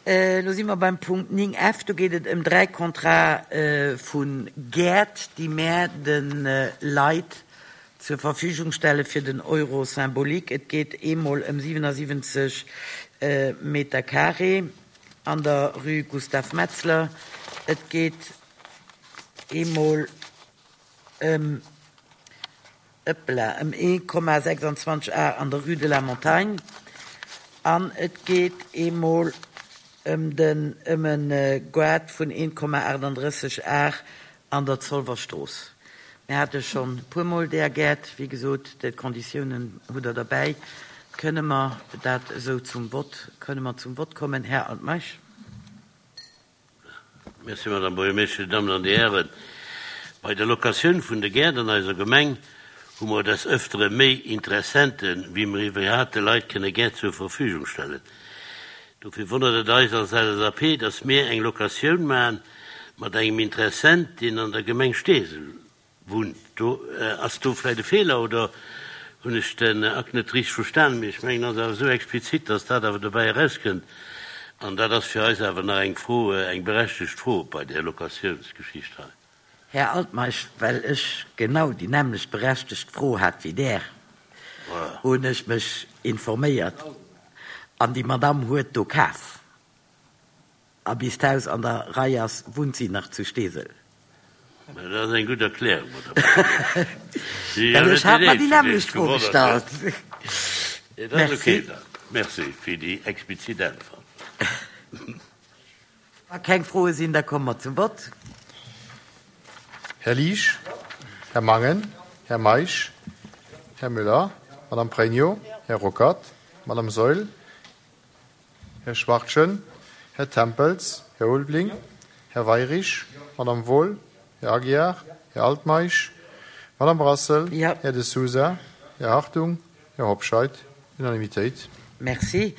Elo si mer beim Punkt 9 F. Do geet et ëm 3 Contrate vu Gäert, déi mär de Leit zur Verfügung stelle fir den Euro symbolique. Et geet eemol ëm 77 Meter carré an der Rue Gustave Metzler. Et geet eemol ëm. Ëppela, ëm 1,26 Ar an der Rue de la Montagne an et geet eemol ëm den ëm e Gaart vun 1,38 Ar an der Zolwer Strooss. Mir hate schonn e puermol deeër Gäert. Wéi gesot, d'Konditiounen hutt Der derbäi. Kënne mer dat esou zum Vott, kënne mer zum Vott kommen, Här Altmeisch? Merci, Madame Buergermeeschtesch. Dir Dammen an Dir Hären, bei der Locatioun vun de Gäert an eiser Gemeng hu mer des Ëftere méi Interessenten, wéi mer iwwerhaapt de Leit kënne Gäert zur Verfügung stellen. Dofir wonnert et eis als LSAP, dass mir eng Locatioun maachen mat engem Interessent, deen an der Gemeng Steesel Wunnt. Do ass do vläit e Feeler oder hunn ech den Akt net richteg verstanen, mee ech mengen, ass awer esou explizit, dass dat awer dobäi erauskënnt. An dat ass fir eis awer nach eng Fro, eng berechtegt Fro bei där Locatiounsgeschicht hei. Här Altmeisch, well ech genau déi nämmlecht berechtegt Fro hat wéi Der, hunn ech mech informéiert an déi Madamm huet do kaf. A bis d'Haus an der Rei ass, wunnt si nach zu Steesel. Mä dat ass eng gutt Erklärung, Madame Buergermeeschtesch. Si Well ech hat mer déi nämmlecht Fro gestallt. Dat ass okay dann. Merci fir déi explizit Äntwert. Wa keng Froe sinn, da komme mer zum Vott. Här Liesch, Här Mangen, Här Meisch, Här Müller, Madame Pregno, Här Ruckert, Madame Saeul, Här Schwachtgen, Här Tempels, Här Ulveling, Här Weyrich, Madame Wohl, Här Aguiar, Här Altmeisch, Madame Brassel, Här De Sousa, Här Hartung, Här Hobscheit. Unanimitéit. Merci.